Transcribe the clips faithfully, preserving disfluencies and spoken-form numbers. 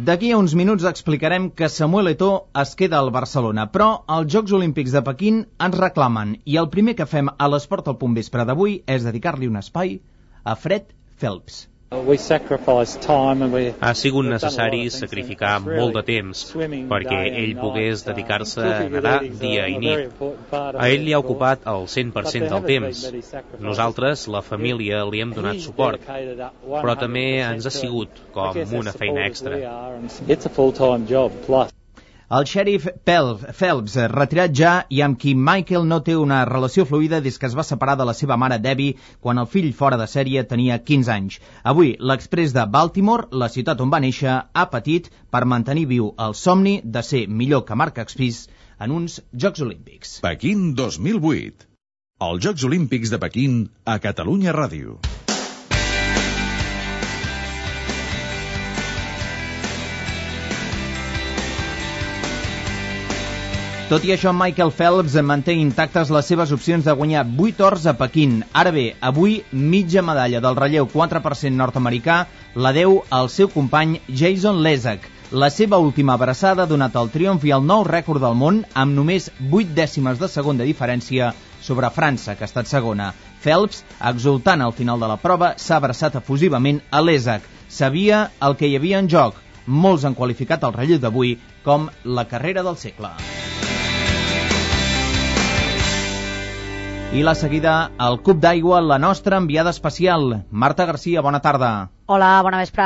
D'aquí a uns minuts explicarem que Samuel Eto'o es queda al Barcelona, però els Jocs Olímpics de Pequín ens reclamen i el primer que fem a l'Esport al Punt Vespre d'avui és dedicar-li un espai a Fred Phelps. Ha sigut necessari sacrificar molt de temps perquè ell pogués dedicar-se a nedar dia i nit. A ell li ha ocupat el cent per cent del temps. Nosaltres, la família, li hem donat suport, però també ens ha sigut com una feina extra. El xèrif Phelps, retirat ja i amb qui Michael no té una relació fluida des que es va separar de la seva mare Debbie quan el fill fora de sèrie tenia quinze anys. Avui, l'Express de Baltimore, la ciutat on va néixer, ha patit per mantenir viu el somni de ser millor que Marc Expís en uns Jocs Olímpics. Pequín dos mil vuit. Els Jocs Olímpics de Pequín a Catalunya Ràdio. Tot i això, Michael Phelps manté intactes les seves opcions de guanyar vuit ors a Pequín. Ara bé, avui mitja medalla del relleu quatre per cent nord-americà la deu al seu company Jason Lesak. La seva última abraçada ha donat el triomf i el nou rècord del món amb només vuit dècimes de segon de diferència sobre França, que ha estat segona. Phelps, exultant al final de la prova, s'ha abraçat efusivament a Lesak. Sabia el que hi havia en joc. Molts han qualificat el relleu d'avui com la carrera del segle. I la seguida, el cub d'aigua, la nostra enviada especial. Marta Garcia, bona tarda. Hola, bona vespre.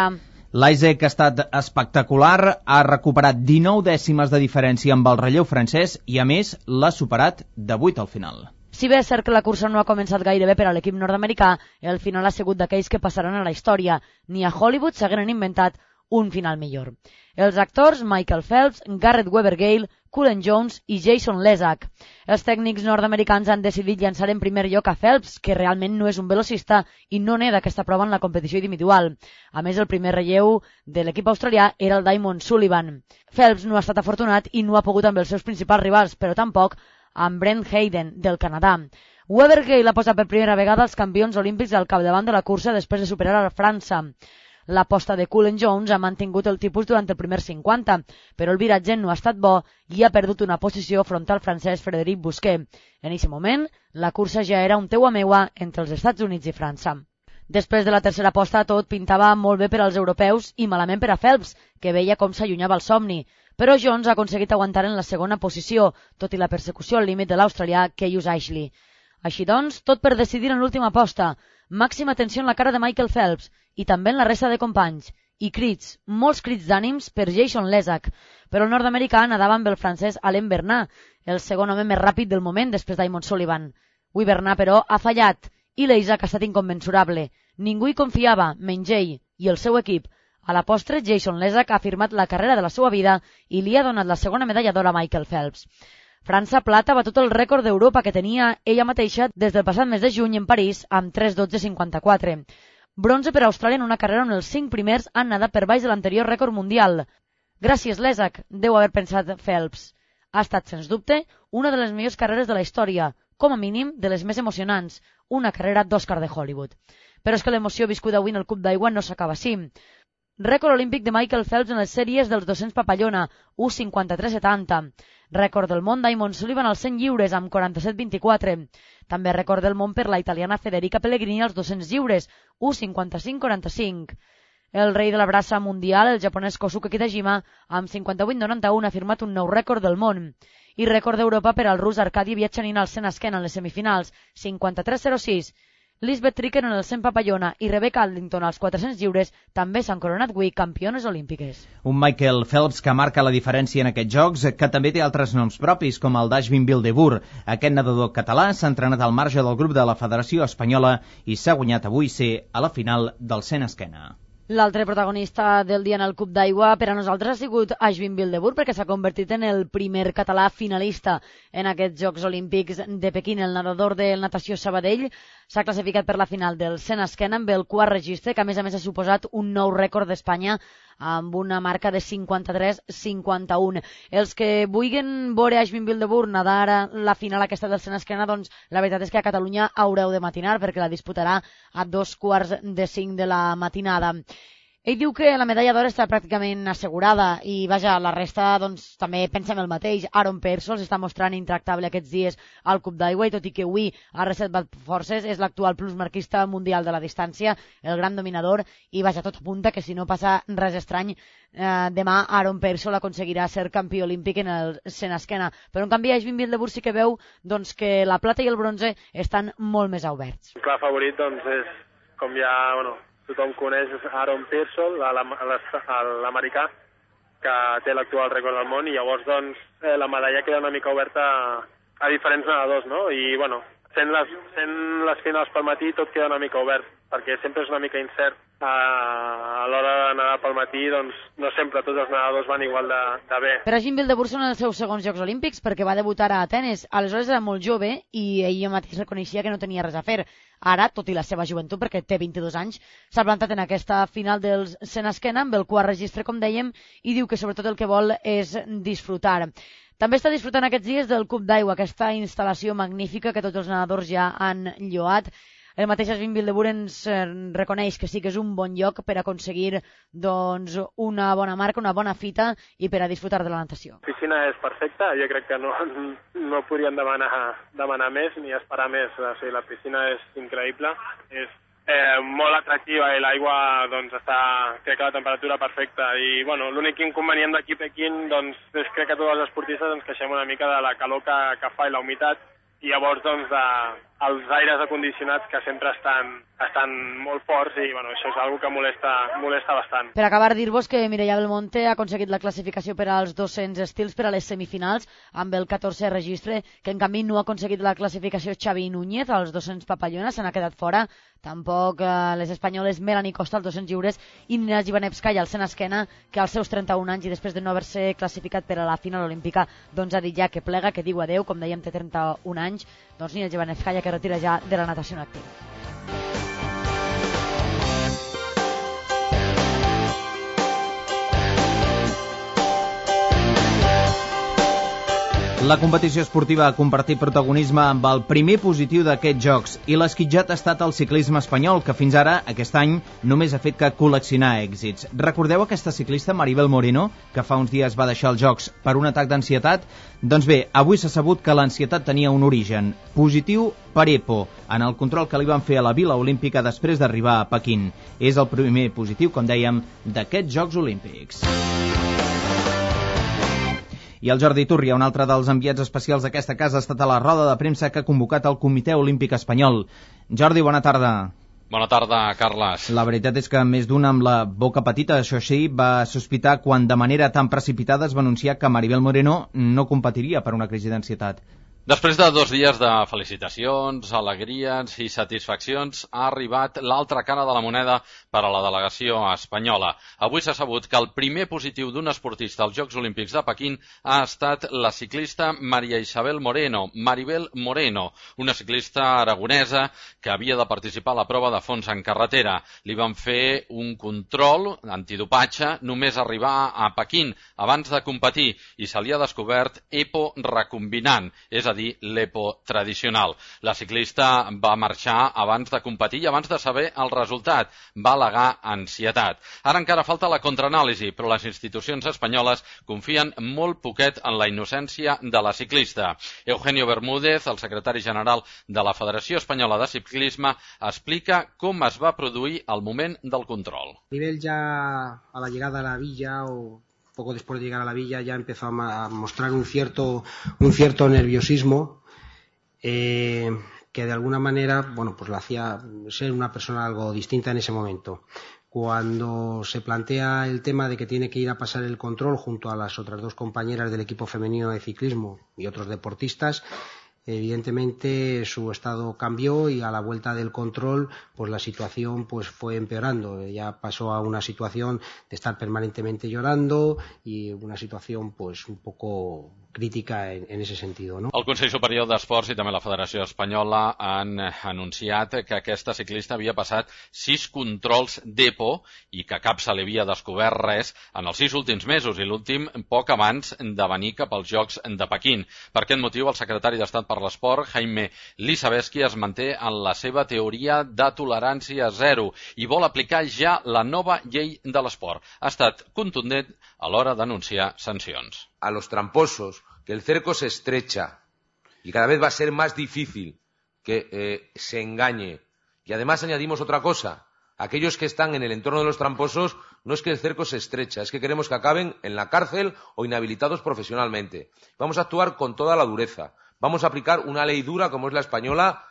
L'Isaac ha estat espectacular, ha recuperat dinou dècimes de diferència amb el relleu francès i, a més, l'ha superat de vuit al final. Si bé és cert que la cursa no ha començat gaire bé per a l'equip nord-americà, el final ha sigut d'aquells que passaran a la història. Ni a Hollywood s'hagueren inventat un final millor. Els actors Michael Phelps, Garrett Weber-Gale, Cullen Jones i Jason Lesak. Els tècnics nord-americans han decidit llançar en primer lloc a Phelps, que realment no és un velocista i no neda aquesta prova en la competició individual. A més, el primer relleu de l'equip australià era el Damon Sullivan. Phelps no ha estat afortunat i no ha pogut amb els seus principals rivals, però tampoc amb Brent Hayden, del Canadà. Weber-Gale ha posat per primera vegada els campions olímpics al capdavant de la cursa després de superar a França. L'aposta de Cullen Jones ha mantingut el tipus durant el primer cinquanta, però el viratge no ha estat bo i ha perdut una posició front al francès Frédéric Bousquet. En aquest moment, la cursa ja era un teua meua entre els Estats Units i França. Després de la tercera aposta, tot pintava molt bé per als europeus i malament per a Phelps, que veia com s'allunyava el somni. Però Jones ha aconseguit aguantar en la segona posició, tot i la persecució al límit de l'australià Keyus Ashley. Així doncs, tot per decidir en l'última aposta. Màxima atenció en la cara de Michael Phelps i també en la resta de companys. I crits, molts crits d'ànims per Jason Lesak. Però el nord-americà nadava amb el francès Alain Bernat, el segon home més ràpid del moment després d'Eamon Sullivan. Avui Bernat, però, ha fallat i l'Isaac ha estat inconmensurable. Ningú hi confiava, menys ell i el seu equip. A la postre, Jason Lesak ha firmat la carrera de la seva vida i li ha donat la segona medalla d'or a Michael Phelps. França Plata va tot el rècord d'Europa que tenia ella mateixa des del passat mes de juny en París amb tres dotze cinquanta-quatre. Bronze per a Austràlia en una carrera on els cinc primers han nadat per baix de l'anterior rècord mundial. Gràcies, Lesak, deu haver pensat Phelps. Ha estat, sens dubte, una de les millors carreres de la història, com a mínim de les més emocionants, una carrera d'Òscar de Hollywood. Però és que l'emoció viscuda avui en el Cup d'aigua no s'acaba així. Rècord olímpic de Michael Phelps en les sèries dels dos-cents papallona, u cinquanta-tres setanta. Rècord del món d'Eamon Sullivan als cent lliures amb quaranta-set vint-i-quatre. També rècord del món per la italiana Federica Pellegrini als dos-cents lliures, u cinquanta-cinc quaranta-cinc. El rei de la braça mundial, el japonès Kosuke Kitajima, amb cinquanta-vuit noranta-u ha firmat un nou rècord del món. I rècord d'Europa per al rus Arkady Viatchanin al cent esquena en les semifinals, cinquanta-tres zero sis. Lisbeth Tricken en el cent papallona i Rebecca Adlington als quatre-cents lliures també s'han coronat avui campiones olímpiques. Un Michael Phelps que marca la diferència en aquests jocs, que també té altres noms propis, com el d'Ashvin Bildeboer. Aquest nedador català s'ha entrenat al marge del grup de la Federació Espanyola i s'ha guanyat avui ser a la final del cent esquena. L'altre protagonista del dia en el Cup d'aigua per a nosaltres ha sigut Ashvin Bildeboer, perquè s'ha convertit en el primer català finalista en aquests Jocs Olímpics de Pequín. El nedador de natació Sabadell s'ha classificat per la final del cent esquena amb el quart registre, que a més a més ha suposat un nou rècord d'Espanya amb una marca de cinquanta-tres cinquanta-u. Els que vulguin veure Ashvin Bildeboer nadar la final aquesta del cent esquena, doncs la veritat és que a Catalunya haureu de matinar perquè la disputarà a dos quarts de cinc de la matinada. Ell diu que la medalla d'or està pràcticament assegurada i, vaja, la resta doncs, també pensem el mateix. Aaron Peirsol s'està mostrant intractable aquests dies al Cup d'Aigua i tot i que avui ha reservat forces és l'actual plusmarquista mundial de la distància, el gran dominador, i, vaja, tot apunta que si no passa res estrany, eh, demà Aaron Peirsol aconseguirà ser campió olímpic en el cent esquena. Però, en canvi, Aishbin Wildeboer sí que veu doncs, que la plata i el bronze estan molt més oberts. El clar favorit doncs, és, com ja... Bueno, tothom coneix Aaron Peirsol, l'americà, que té l'actual rècord del món, i llavors doncs, eh, la medalla queda una mica oberta a, a diferents nedadors, no? I bueno, sent les, sent les finals pel matí tot queda una mica obert, perquè sempre és una mica incert. A, a l'hora de nedar pel matí, doncs no sempre tots els nedadors van igual de, de bé. Per Aishbin Wildeboer són els seus segons Jocs Olímpics perquè va debutar a Atenes. Aleshores era molt jove i ell mateix reconeixia que no tenia res a fer. Ara, tot i la seva joventut, perquè té vint-i-dos anys, s'ha plantat en aquesta final del cent esquena amb el quart registre, com dèiem, i diu que sobretot el que vol és disfrutar. També està disfrutant aquests dies del Cup d'Aigua, aquesta instal·lació magnífica que tots els nedadors ja han lloat. El mateix Aishbin Wildeboer ens reconeix que sí que és un bon lloc per aconseguir doncs, una bona marca, una bona fita i per a disfrutar de la natació. La piscina és perfecta, jo crec que no, no podríem demanar, demanar més ni esperar més. O sigui, la piscina és increïble, és eh, molt atractiva i l'aigua doncs, està, crec que la temperatura perfecta. I bueno, l'únic inconvenient d'aquí a Pequín doncs, és crec que tots els esportistes ens queixem una mica de la calor que, que fa i la humitat, i llavors doncs, de, els aires acondicionats que sempre estan, estan molt forts i bueno, això és una cosa que molesta, molesta bastant. Per acabar, dir-vos que Mireia Belmonte ha aconseguit la classificació per als dos-cents estils per a les semifinals amb el catorzè registre, que en canvi no ha aconseguit la classificació Xavi Núñez als dos-cents papallona, se n'ha quedat fora. Tampoc eh, les espanyoles Melanie Costa als dos-cents lliures i Nina Jivanevskaya al cent esquena, que als seus trenta-un anys i després de no haver-se classificat per a la final olímpica doncs ha dit ja que plega, que diu adeu, com dèiem té trenta-un anys, doncs Nina Jivanevskaya que retira ja de la natació en actiu. La competició esportiva ha compartit protagonisme amb el primer positiu d'aquests Jocs i l'esquitjat ha estat el ciclisme espanyol, que fins ara, aquest any, només ha fet que col·leccionar èxits. Recordeu aquesta ciclista, Maribel Moreno, que fa uns dies va deixar els Jocs per un atac d'ansietat? Doncs bé, avui s'ha sabut que l'ansietat tenia un origen positiu per EPO, en el control que li van fer a la Vila Olímpica després d'arribar a Pequín. És el primer positiu, com dèiem, d'aquests Jocs Olímpics. I el Jordi Turria, un altre dels enviats especials d'aquesta casa, ha estat a la roda de premsa que ha convocat el Comitè Olímpic Espanyol. Jordi, bona tarda. Bona tarda, Carles. La veritat és que més d'un amb la boca petita, això sí, va sospitar quan de manera tan precipitada es va anunciar que Maribel Moreno no competiria per una crisi d'ansietat. Després de dos dies de felicitacions, alegries i satisfaccions, ha arribat l'altra cara de la moneda per a la delegació espanyola. Avui s'ha sabut que el primer positiu d'un esportista als Jocs Olímpics de Pequín ha estat la ciclista Maria Isabel Moreno, Maribel Moreno, una ciclista aragonesa que havia de participar a la prova de fons en carretera. Li van fer un control antidopatge només arribar a Pequín abans de competir i se li ha descobert EPO recombinant, és a dir, l'EPO tradicional. La ciclista va marxar abans de competir i abans de saber el resultat. Va al·legar ansietat. Ara encara falta la contraanàlisi, però les institucions espanyoles confien molt poquet en la innocència de la ciclista. Eugenio Bermúdez, el secretari general de la Federació Espanyola de Ciclisme, explica com es va produir el moment del control. A nivel ya a la llegada a la villa o poco después de llegar a la villa ya empezó a mostrar un cierto, un cierto nerviosismo eh, que de alguna manera, bueno, pues la hacía ser una persona algo distinta en ese momento. Cuando se plantea el tema de que tiene que ir a pasar el control junto a las otras dos compañeras del equipo femenino de ciclismo y otros deportistas, evidentemente su estado cambió y a la vuelta del control pues la situación pues fue empeorando. Ella pasó a una situación de estar permanentemente llorando y una situación pues un poco crítica en, en ese sentido, no? El Consell Superior d'Esports i també la Federació Espanyola han anunciat que aquesta ciclista havia passat sis controls d'EPO i que cap se li havia descobert res en els sis últims mesos i l'últim poc abans de venir cap als Jocs de Pequín. Per aquest motiu, el secretari d'Estat per per l'Esport, Jaime Lisaveski, es manté en la seva teoria de tolerància zero i vol aplicar ja la nova llei de l'esport. Ha estat contundent a l'hora d'anunciar sancions. A los tramposos, que el cerco se estrecha y cada vez va a ser más difícil que eh, se engañe. Y además añadimos otra cosa. Aquellos que están en el entorno de los tramposos, no es que el cerco se estrecha, es que queremos que acaben en la cárcel o inhabilitados profesionalmente. Vamos a actuar con toda la dureza. Vamos a aplicar una ley dura como es la española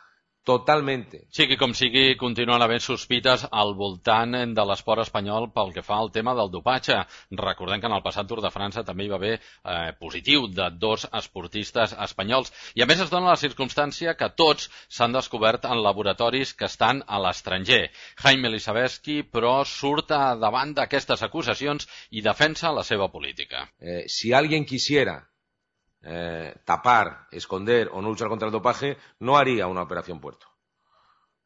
totalment. Sigui com sigui, continuen havent sospites al voltant de l'esport espanyol pel que fa al tema del dopatge. Recordem que en el passat Tour de França també hi va haver eh, positiu de dos esportistes espanyols. I a més es dona la circumstància que tots s'han descobert en laboratoris que estan a l'estranger. Jaime Lisaveski, però, surt davant d'aquestes acusacions i defensa la seva política. Eh, si alguien quisiera Eh, tapar, esconder o no luchar contra el dopaje, no haría una operación Puerto.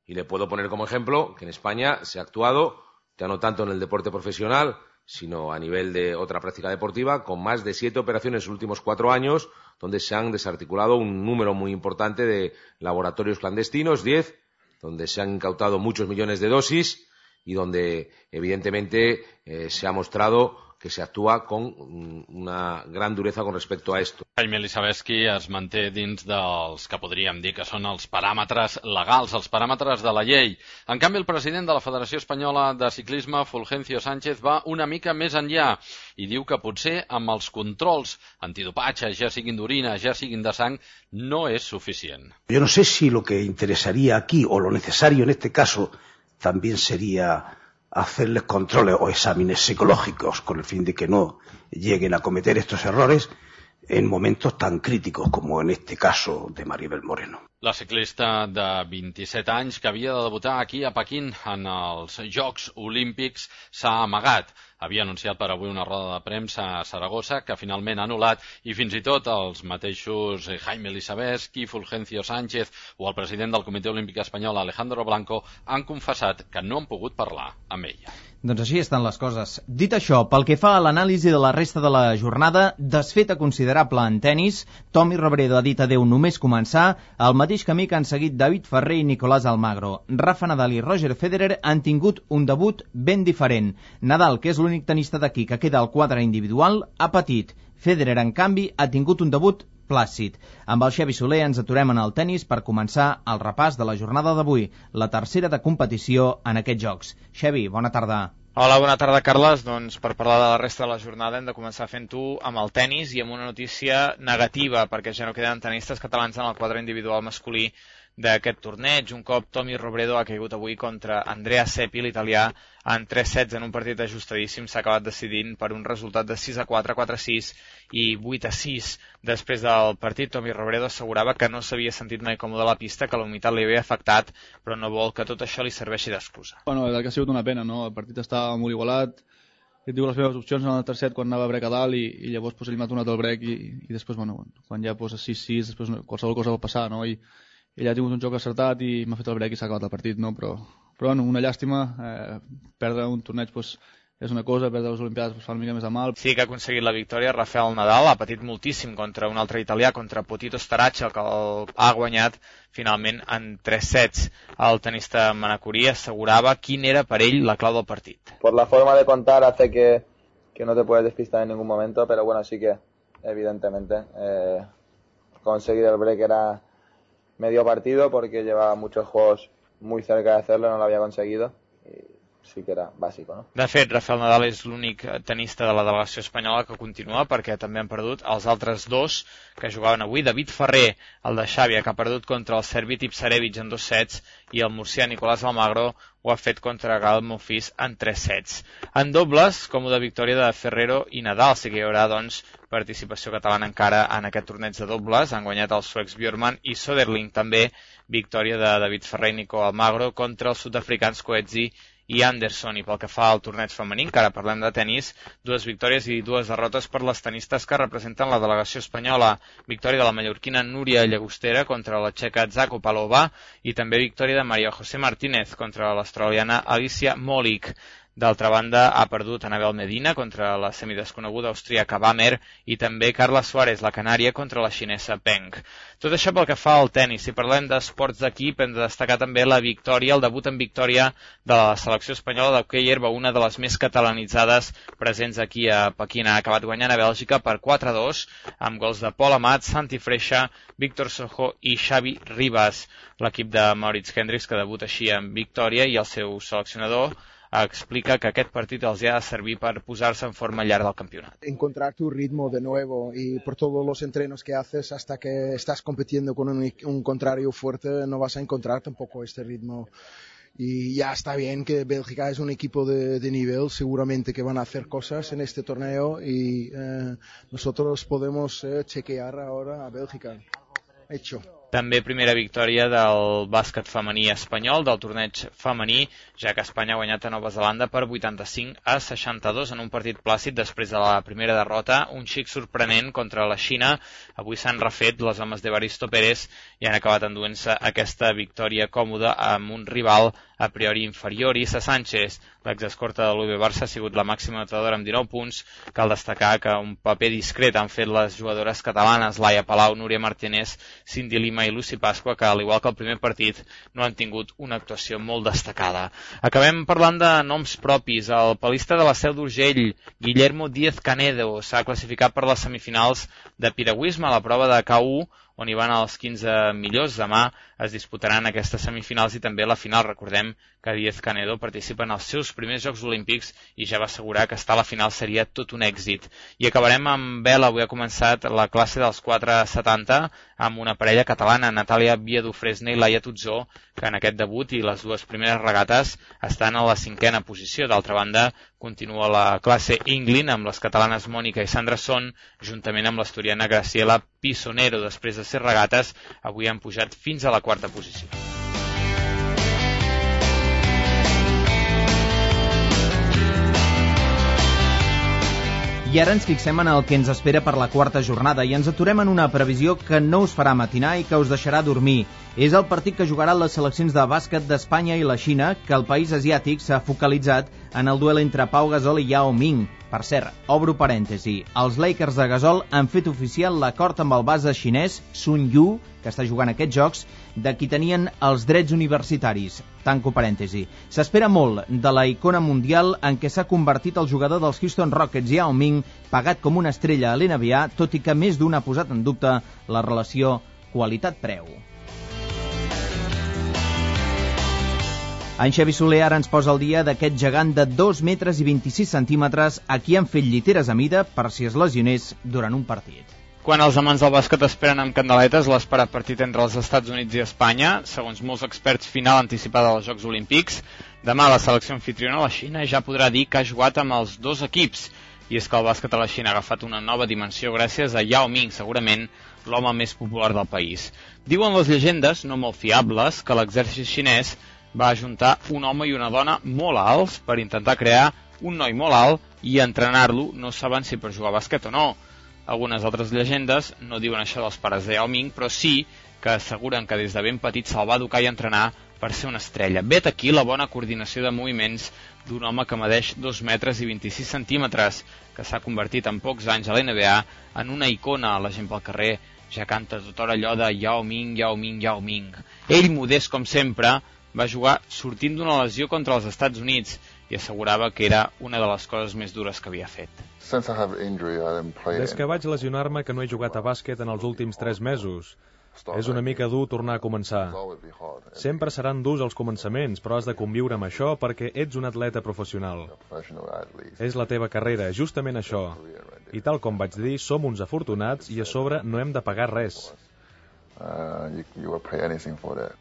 Y le puedo poner como ejemplo que en España se ha actuado, ya no tanto en el deporte profesional, sino a nivel de otra práctica deportiva, con más de siete operaciones en los últimos cuatro años, donde se han desarticulado un número muy importante de laboratorios clandestinos, diez, donde se han incautado muchos millones de dosis y donde, evidentemente, eh, se ha mostrado que se actúa con una gran dureza con respecto a esto. Jaime Lisaveski es manté dins dels que podríem dir que són els paràmetres legals, els paràmetres de la llei. En canvi, el president de la Federació Espanyola de Ciclisme, Fulgencio Sánchez, va una mica més enllà i diu que potser amb els controls antidopatge, ja siguin d'orina, ja siguin de sang, no és suficient. Yo no sé si lo que interesaría aquí o lo necesario en este caso también sería hacerles controles o exámenes psicológicos con el fin de que no lleguen a cometer estos errores en momentos tan críticos como en este caso de Maribel Moreno. La ciclista de vint-i-set anys que havia de debutar aquí a Pequín en els Jocs Olímpics s'ha amagat. Havia anunciat per avui una roda de premsa a Saragossa que finalment ha anul·lat i fins i tot els mateixos Jaime Lisaveski, Fulgencio Sánchez o el president del Comitè Olímpic Espanyol, Alejandro Blanco, han confessat que no han pogut parlar amb ella. Doncs així estan les coses. Dit això, pel que fa a l'anàlisi de la resta de la jornada, desfeta considerable en tennis, Tommy Robredo ha dit adeu només començar, el mateix camí que han seguit David Ferrer i Nicolás Almagro. Rafa Nadal i Roger Federer han tingut un debut ben diferent. Nadal, que és l'únic tenista d'aquí que queda al quadre individual, ha patit. Federer, en canvi, ha tingut un debut plàcid. Amb el Xavi Soler ens aturem en el tennis per començar el repàs de la jornada d'avui, la tercera de competició en aquests jocs. Xavi, bona tarda. Hola, bona tarda, Carles. Doncs per parlar de la resta de la jornada hem de començar fent-ho amb el tennis i amb una notícia negativa, perquè ja no queden tenistes catalans en el quadre individual masculí d'aquest torneig. Un cop Tommy Robredo ha caigut avui contra Andrea Seppi, l'italià, en tres sets en un partit ajustadíssim. S'ha acabat decidint per un resultat de sis a quatre, quatre a sis i vuit a sis. Després del partit, Tommy Robredo assegurava que no s'havia sentit mai còmode a la pista, que la humitat li havia afectat, però no vol que tot això li serveixi d'excusa. Bueno, la veritat que ha sigut una pena, no? El partit estava molt igualat. He tingut les meves opcions en el tercer set quan anava a brec a dalt i, i llavors pues, he eliminat un altre el brec i, i després, bueno, quan ja pues, sis sis, després qualsevol cosa pot passar, no? I ell ha tingut un joc acertat i m'ha fet el brec i s'ha acabat el partit, no? Però, però bueno, una llàstima, eh, perdre un torneig pues, és una cosa, perdre les Olimpiades pues, fa una mica més de mal. Sí que ha aconseguit la victòria Rafael Nadal, ha patit moltíssim contra un altre italià, contra Potito Starace, el que el ha guanyat finalment en tres sets. El tenista manacorí assegurava quin era per ell la clau del partit. Por la forma de contar hace que, que no te puedes despistar en ningún momento, pero bueno, sí que evidentemente eh, conseguir el break era medio partido porque llevaba muchos juegos muy cerca de hacerlo, no lo había conseguido y sí que era bàsic, no? De fet, Rafael Nadal és l'únic tenista de la delegació espanyola que continua perquè també han perdut els altres dos que jugaven avui. David Ferrer, el de Xàbia, que ha perdut contra el serbi Tipsarevic en dos sets i el murcià Nicolás Almagro ho ha fet contra Gael Monfils en tres sets. En dobles, còmoda victòria de Ferrero i Nadal, sí que hi haurà doncs participació catalana encara en aquest torneig de dobles. Han guanyat els suecs Björkman i Söderling, també victòria de David Ferrer i Nico Almagro contra els sud-africans Coetzee i Anderson. I pel que fa al torneig femení, encara parlem de tenis, dues victòries i dues derrotes per les tenistes que representen la delegació espanyola. Victòria de la mallorquina Núria Llagostera contra la txeca Zakopalova i també victòria de María José Martínez contra l'australiana Alicia Molik. D'altra banda, ha perdut Anabel Medina contra la semidesconeguda austríaca Bammer i també Carla Suárez, la canària, contra la xinesa Peng. Tot això pel que fa al tennis. Si parlem d'esports d'equip, hem de destacar també la victòria, el debut en victòria de la selecció espanyola d'hoquei herba, una de les més catalanitzades presents aquí a Pequín. Ha acabat guanyant a Bèlgica per quatre a dos, amb gols de Pol Amat, Santi Freixa, Víctor Sojo i Xavi Ribas. L'equip de Maurits Hendricks, que debuta així en victòria, i el seu seleccionador explica que aquest partit els ha de servir per posar-se en forma al llarg del campionat. Encontrar tu ritmo de nuevo y por todos los entrenos que haces hasta que estás compitiendo con un, un contrario fuerte no vas a encontrar tampoco este ritmo. Y ya está bien que Bélgica es un equipo de, de nivel, seguramente que van a hacer cosas en este torneo y eh, nosotros podemos eh, chequear ahora a Bélgica. Hecho. També primera victòria del bàsquet femení espanyol, del torneig femení, ja que Espanya ha guanyat a Nova Zelanda per vuitanta-cinc a seixanta-dos en un partit plàcid després de la primera derrota, un xic sorprenent contra la Xina. Avui s'han refet les homes d'Evaristo Pérez i han acabat enduent-se aquesta victòria còmoda amb un rival a priori inferior. Issa Sánchez, l'exescorta de l'U B Barça, ha sigut la màxima anotadora amb dinou punts. Cal destacar que un paper discret han fet les jugadores catalanes, Laia Palau, Núria Martínez, Cindy Lima i Lucy Pasqua, que al igual que el primer partit no han tingut una actuació molt destacada. Acabem parlant de noms propis. El palista de la Seu d'Urgell, Guillermo Díez Canedo, s'ha classificat per les semifinals de piragüisme a la prova de K u, on hi van els quinze millors. Demà es disputaran aquestes semifinals i també la final. Recordem que Díez Canedo participa en els seus primers Jocs Olímpics i ja va assegurar que estar a la final seria tot un èxit. I acabarem amb vela. Avui ha començat la classe dels quatre setanta amb una parella catalana, Natàlia Viadufresne i Laia Tutzó, que en aquest debut i les dues primeres regates estan a la cinquena posició. D'altra banda, continua la classe England amb les catalanes Mònica i Sandra Son, juntament amb l'asturiana Graciela Pisonero. Després de ser regates, avui han pujat fins a la quarta posició. I ara ens fixem en el que ens espera per la quarta jornada i ens aturem en una previsió que no us farà matinar i que us deixarà dormir. És el partit que jugaran les seleccions de bàsquet d'Espanya i la Xina, que el país asiàtic s'ha focalitzat en el duel entre Pau Gasol i Yao Ming. Per cert, obro parèntesi, els Lakers de Gasol han fet oficial l'acord amb el base xinès Sun Yu, que està jugant aquests jocs, de qui tenien els drets universitaris. Tanco parèntesi. S'espera molt de la icona mundial en què s'ha convertit el jugador dels Houston Rockets, Yao Ming, pagat com una estrella a l'N B A, tot i que més d'un ha posat en dubte la relació qualitat-preu. En Xavi Soler ara ens posa al dia d'aquest gegant de dos metres i vint-i-sis centímetres a qui han fet lliteres a mida per si es lesionés durant un partit. Quan els amants del bàsquet esperen amb candeletes l'esperat partit entre els Estats Units i Espanya, segons molts experts, final anticipada dels Jocs Olímpics, demà la selecció anfitriona, la Xina, ja podrà dir que ha jugat amb els dos equips. I és que el bàsquet a la Xina ha agafat una nova dimensió gràcies a Yao Ming, segurament l'home més popular del país. Diuen les llegendes, no molt fiables, que l'exèrcit xinès va ajuntar un home i una dona molt alts per intentar crear un noi molt alt i entrenar-lo, no saben si per jugar a bàsquet o no. Algunes altres llegendes no diuen això dels pares de Yao Ming, però sí que asseguren que des de ben petit se'l va educar i entrenar per ser una estrella. Vet aquí la bona coordinació de moviments d'un home que medeix dos metres i vint-i-sis centímetres, que s'ha convertit en pocs anys a l'N B A en una icona. La gent pel carrer ja canta tota hora allò de Yao Ming, Yao Ming, Yao Ming. Ell, modest com sempre, va jugar sortint d'una lesió contra els Estats Units i assegurava que era una de les coses més dures que havia fet. Des que vaig lesionar-me que no he jugat a bàsquet en els últims tres mesos. És una mica dur tornar a començar. Sempre seran durs els començaments, però has de conviure amb això perquè ets un atleta professional. És la teva carrera, justament això. I tal com vaig dir, som uns afortunats i a sobre no hem de pagar res.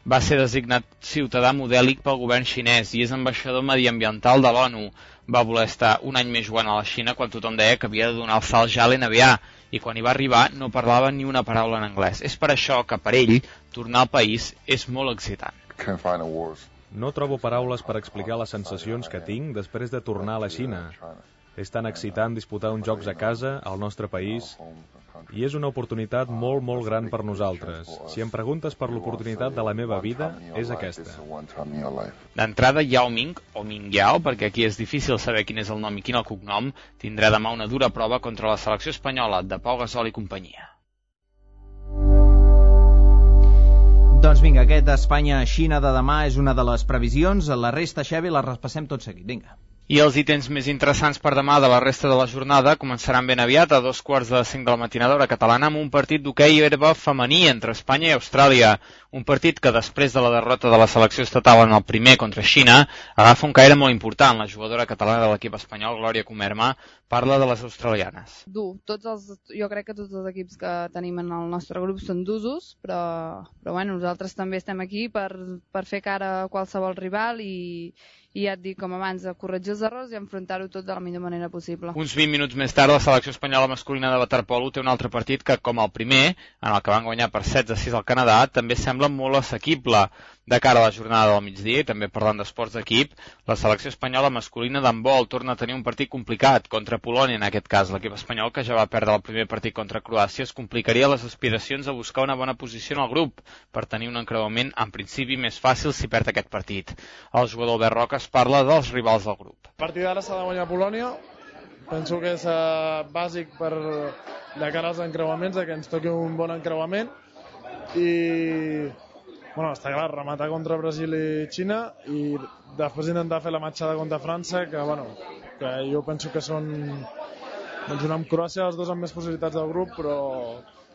Va ser designat ciutadà modèlic pel govern xinès i és ambaixador mediambiental de l'ONU. Va voler estar un any més jugant a la Xina quan tothom deia que havia de donar el salt ja a l'N B A i quan hi va arribar no parlava ni una paraula en anglès. És per això que per ell tornar al país és molt excitant. No trobo paraules per explicar les sensacions que tinc després de tornar a la Xina. És tan excitant disputar uns jocs a casa, al nostre país. I és una oportunitat molt, molt gran per nosaltres. Si em preguntes per l'oportunitat de la meva vida, és aquesta. D'entrada, Yao Ming, o Ming Yao, perquè aquí és difícil saber quin és el nom i quin el cognom, tindrà demà una dura prova contra la selecció espanyola de Pau Gasol i companyia. Doncs vinga, aquest Espanya-Xina de demà és una de les previsions. La resta, Xavi, la repassem tot seguit. Vinga. I els ítems més interessants per demà de la resta de la jornada començaran ben aviat a dos quarts de cinc de la matinada hora catalana amb un partit d'hoquei herba femení entre Espanya i Austràlia. Un partit que després de la derrota de la selecció estatal en el primer contra Xina agafa un caire molt important. La jugadora catalana de l'equip espanyol, Glòria Comerma, parla de les australianes. Dur. Tots els, jo crec que tots els equips que tenim en el nostre grup són d'usos, però, però bueno, nosaltres també estem aquí per, per fer cara a qualsevol rival i, i ja et dic, com abans, a corregir els errors i enfrontar-ho tot de la millor manera possible. Uns vint minuts més tard, la selecció espanyola masculina de waterpolo té un altre partit que, com el primer, en el que van guanyar per setze a sis al Canadà, també sembla molt assequible. De cara a la jornada del migdia, i també parlant d'esports d'equip, la selecció espanyola masculina d'handbol torna a tenir un partit complicat contra Polònia, en aquest cas. L'equip espanyol, que ja va perdre el primer partit contra Croàcia, es complicaria les aspiracions a buscar una bona posició en el grup per tenir un encreuament, en principi, més fàcil si perd aquest partit. El jugador Albert Roca es parla dels rivals del grup. El partit d'ara s'ha de guanyar Polònia. Penso que és uh, bàsic per, de cara als encreuaments, que ens toqui un bon encreuament. I... Bueno, està clar, rematar contra Brasil i Xina i després intentar fer la matxada contra França, que, bueno, que jo penso que són doncs, una amb Croàcia, els dos amb més possibilitats del grup, però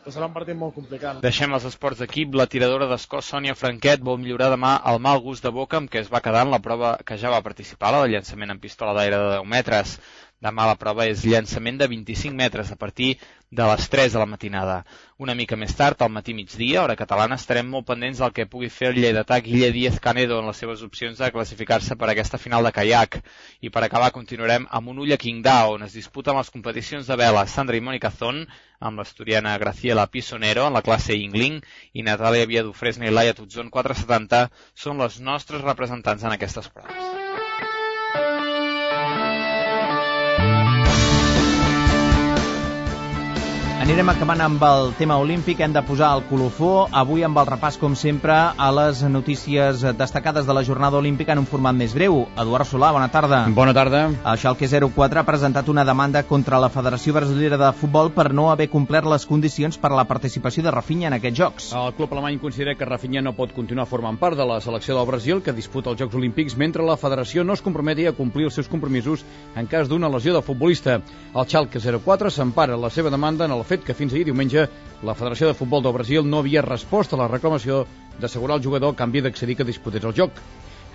que serà un partit molt complicat. Deixem els esports d'equip. La tiradora d'escó Sònia Franquet vol millorar demà el mal gust de boca amb què es va quedar en la prova que ja va participar, la de llançament en pistola d'aire de deu metres. Demà la prova és llançament de vint-i-cinc metres a partir de les tres de la matinada. Una mica més tard, al matí migdia, hora catalana, estarem molt pendents del que pugui fer el lleidatà Guille Díaz Canedo en les seves opcions de classificar-se per a aquesta final de caiac. I per acabar continuarem amb un ull a Qingdao, on es disputen les competicions de vela Sandra i Mònica Zon, amb l'asturiana Graciela Pisonero en la classe Yingling i Natàlia Viadufresne i Laia Tutzon quatre setanta són les nostres representants en aquestes proves. Anirem acabant amb el tema olímpic, hem de posar el colofó, avui amb el repàs, com sempre, a les notícies destacades de la jornada olímpica en un format més breu. Eduard Solà, bona tarda. Bona tarda. El Schalke zero quatre ha presentat una demanda contra la Federació Brasilera de Futbol per no haver complert les condicions per a la participació de Rafinha en aquests Jocs. El club alemany considera que Rafinha no pot continuar formant part de la selecció del Brasil, que disputa els Jocs Olímpics, mentre la Federació no es comprometi a complir els seus compromisos en cas d'una lesió del futbolista. El Schalke zero quatre s'empara la seva demanda en el fet que fins ahir diumenge la Federació de Futbol del Brasil no havia respost a la reclamació d'assegurar al jugador a canvi d'accedir que disputés el joc.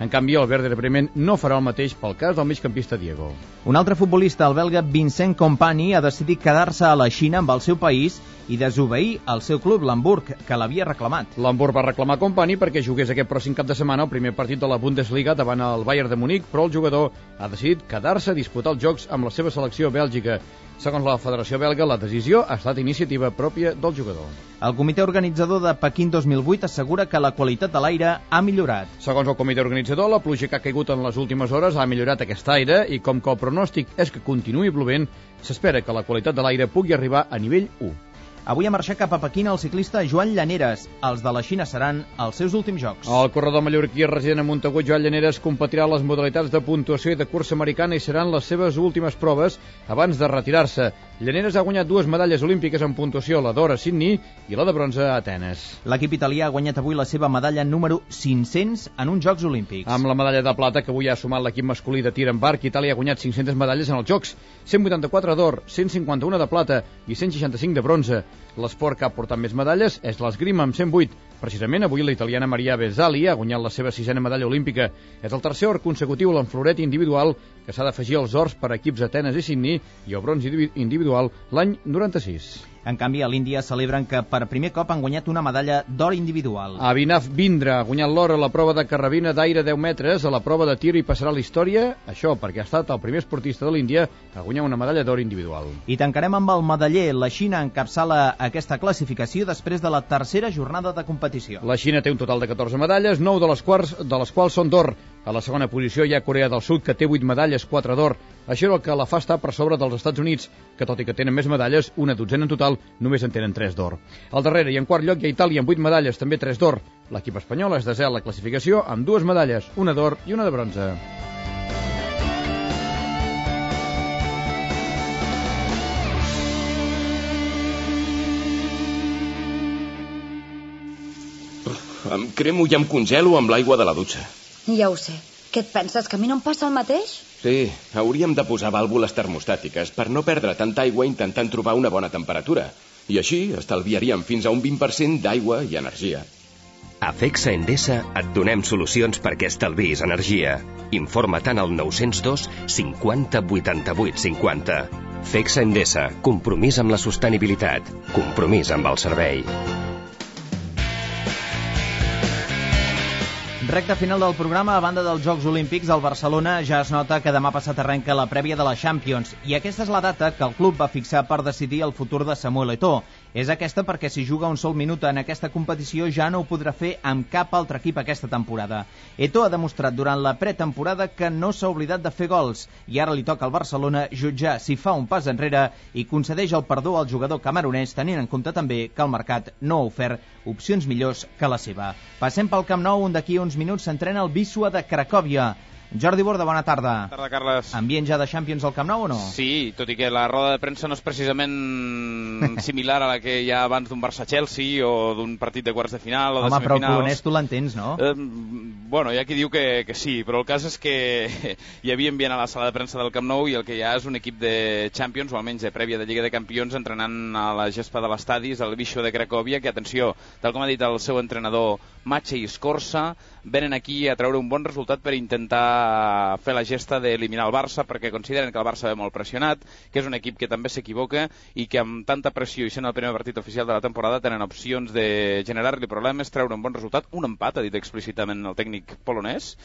En canvi, el Werder Bremen no farà el mateix pel cas del migcampista Diego. Un altre futbolista, el belga Vincent Kompany, ha decidit quedar-se a la Xina amb el seu país i desobeir el seu club, l'Hamburg, que l'havia reclamat. L'Hamburg va reclamar Kompany perquè jugués aquest pròxim cap de setmana el primer partit de la Bundesliga davant el Bayern de Munic, però el jugador ha decidit quedar-se a disputar els jocs amb la seva selecció bèlgica. Segons la Federació Belga, la decisió ha estat iniciativa pròpia del jugador. El comitè organitzador de Pequín dos mil vuit assegura que la qualitat de l'aire ha millorat. Segons el comitè organitzador, la pluja que ha caigut en les últimes hores ha millorat aquest aire i com que el pronòstic és que continuï plovent, s'espera que la qualitat de l'aire pugui arribar a nivell u. Avui ha marxat cap a Pequín el ciclista Joan Llaneres. Els de la Xina seran els seus últims jocs. El corredor mallorquí resident a Montagut, Joan Llaneres, competirà les modalitats de puntuació i de cursa americana i seran les seves últimes proves abans de retirar-se. Llaneres ha guanyat dues medalles olímpiques en puntuació, la d'or a Sydney i la de bronze a Atenes. L'equip italià ha guanyat avui la seva medalla número cinc-cents en uns Jocs Olímpics. Amb la medalla de plata que avui ha sumat l'equip masculí de tir amb arc, Itàlia ha guanyat cinc-centes medalles en els Jocs, cent vuitanta-quatre d'or, cent cinquanta-una de plata i cent seixanta-cinc de bronze. L'esport que ha portat més medalles és l'esgrima amb cent vuit. Precisament avui la italiana Maria Bezzali ha guanyat la seva sisena medalla olímpica. És el tercer or consecutiu a l'enfloret individual que s'ha d'afegir als ors per equips Atenes i Sydney i el bronze individual l'any noranta-sis. En canvi, a l'Índia celebren que per primer cop han guanyat una medalla d'or individual. Abhinav Bindra ha guanyat l'or a la prova de carrabina d'aire deu metres, a la prova de tir i passarà a la història, això perquè ha estat el primer esportista de l'Índia a guanyar una medalla d'or individual. I tancarem amb el medaller. La Xina encapçala aquesta classificació després de la tercera jornada de competició. La Xina té un total de catorze medalles, nou de les quals, de les quals són d'or. A la segona posició hi ha Corea del Sud, que té vuit medalles, quatre d'or. Això és el que la fa estar per sobre dels Estats Units, que tot i que tenen més medalles, una dotzena en total, només en tenen tres d'or. Al darrere i en quart lloc hi ha Itàlia amb vuit medalles, també tres d'or. L'equip espanyol és desè a la classificació amb dues medalles, una d'or i una de bronze. Em cremo i em congelo amb l'aigua de la dutxa. Ja ho sé. Què et penses, que a mi no em passa el mateix? Sí, hauríem de posar vàlvules termostàtiques per no perdre tanta aigua intentant trobar una bona temperatura. I així estalviaríem fins a un vint per cent d'aigua i energia. A Fexa Endesa et donem solucions perquè estalvis energia. Informa-te'n al nou zero dos cinquanta vuitanta-vuit cinquanta. Fexa Endesa, compromís amb la sostenibilitat, compromís amb el servei. Recte final del programa, a banda dels Jocs Olímpics, al Barcelona ja es nota que demà passat arrenca la prèvia de la Champions, i aquesta és la data que el club va fixar per decidir el futur de Samuel Eto'o. És aquesta perquè si juga un sol minut en aquesta competició ja no ho podrà fer amb cap altre equip aquesta temporada. Eto'o ha demostrat durant la pretemporada que no s'ha oblidat de fer gols, i ara li toca al Barcelona jutjar si fa un pas enrere i concedeix el perdó al jugador camerunès, tenint en compte també que el mercat no ha ofert opcions millors que la seva. Passem pel Camp Nou, on d'aquí uns minuts s'entrena el Wisła de Cracòvia. Jordi Borda, bona tarda. Bona tarda, Carles. Ambient ja de Champions al Camp Nou o no? Sí, tot i que la roda de premsa no és precisament similar a la que hi ha abans d'un Barça-Chelsea o d'un partit de quarts de final o de Home, semifinals. però el polonès tu l'entens, no? Eh, bueno, hi ha qui diu que, que sí, però el cas és que hi havia ambient a la sala de premsa del Camp Nou i el que hi ha és un equip de Champions, o almenys de prèvia de Lliga de Campions, entrenant a la gespa de l'estadi, el Wisła de Cracòvia, que, atenció, tal com ha dit el seu entrenador Maciej Skorsa, venen aquí a treure un bon resultat per intentar fer la gesta d'eliminar el Barça, perquè consideren que el Barça ve molt pressionat, que és un equip que també s'equivoca i que amb tanta pressió i sent el primer partit oficial de la temporada tenen opcions de generar-li problemes, treure un bon resultat, un empat, ha dit explícitament el tècnic polonès,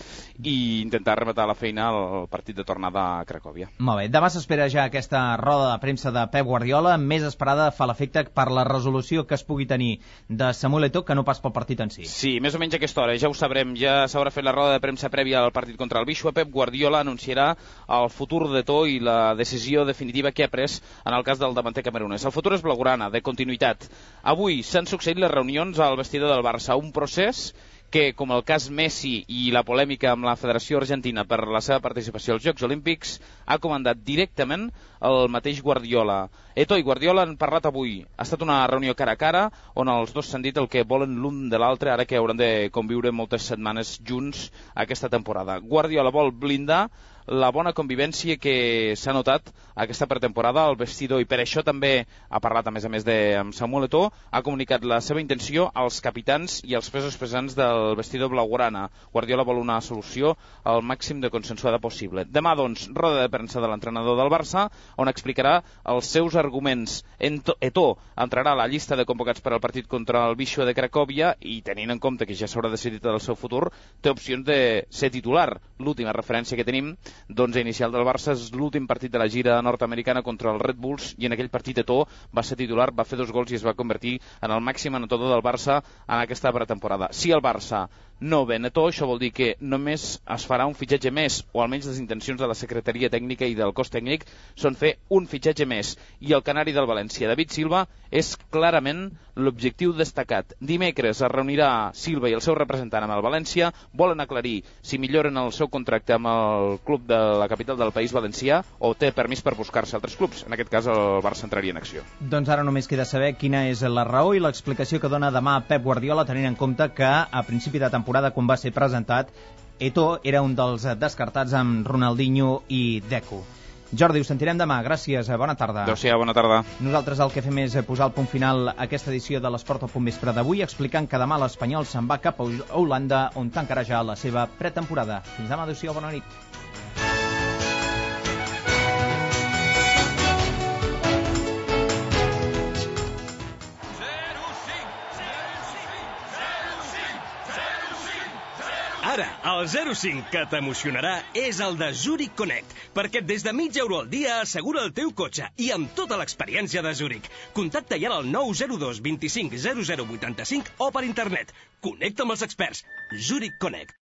i intentar rematar la feina al partit de tornada a Cracòvia. Molt bé, demà s'espera ja aquesta roda de premsa de Pep Guardiola, més esperada fa l'efecte per la resolució que es pugui tenir de Samuel Eto'o que no pas pel partit en si. Sí, més o menys a aquesta hora, ja ho sabrem, ja s'haurà fet la roda de premsa prèvia al partit contra el Wisła. Pep Guardiola anunciarà el futur d'Eto'o i la decisió definitiva que ha pres en el cas del davanter camerunès. El futur és blaugrana, de continuïtat. Avui s'han succeït les reunions al vestidor del Barça, un procés que, com el cas Messi i la polèmica amb la Federació Argentina per la seva participació als Jocs Olímpics, ha comandat directament el mateix Guardiola. Eto'o i Guardiola han parlat avui. Ha estat una reunió cara a cara on els dos s'han dit el que volen l'un de l'altre, ara que hauran de conviure moltes setmanes junts aquesta temporada. Guardiola vol blindar la bona convivència que s'ha notat aquesta pretemporada al vestidor, i per això també ha parlat, a més a més de amb Samuel Eto'o, ha comunicat la seva intenció als capitans i als pesos pesants del vestidor blaugrana. Guardiola vol una solució al màxim de consensuada possible. Demà, doncs, roda de premsa de l'entrenador del Barça, on explicarà els seus arguments. Eto'o entrarà a la llista de convocats per al partit contra el Wisła de Cracòvia i, tenint en compte que ja s'haurà decidit el seu futur, té opcions de ser titular. L'última referència que tenim d'onze inicial del Barça és l'últim partit de la gira nord-americana contra els Red Bulls, i en aquell partit Eto'o va ser titular, va fer dos gols i es va convertir en el màxim anotador del Barça en aquesta pretemporada. Si el Barça no ven Eto'o, això vol dir que només es farà un fitxatge més, o almenys les intencions de la secretaria tècnica i del cos tècnic són fer un fitxatge més, i el canari del València, David Silva, és clarament l'objectiu destacat. Dimecres es reunirà Silva i el seu representant amb el València, volen aclarir si milloren el seu contracte amb el club de la capital del País Valencià o té permís per buscar-se altres clubs. En aquest cas el Barça entraria en acció. Doncs ara només queda saber quina és la raó i l'explicació que dona demà Pep Guardiola, tenint en compte que a principi de temporada, quan va ser presentat, Eto'o era un dels descartats amb Ronaldinho i Deco. Jordi, us sentirem demà. Gràcies, bona tarda. Adéu-siau, bona tarda. Nosaltres el que fem és posar el punt final a aquesta edició de l'Esport al Punt Vespre d'avui, explicant que demà l'Espanyol se'n va cap a Holanda, on tancarà ja la seva pretemporada. Fins demà, adéu-siau, bona nit. Ara, el zero cinc que t'emocionarà és el de Zurich Connect, perquè des de mig euro al dia assegura el teu cotxe i amb tota l'experiència de Zurich. Contacta ja al nou zero dos vint cinc zero zero vuitanta-cinc o per internet. Connecta amb els experts. Zurich Connect.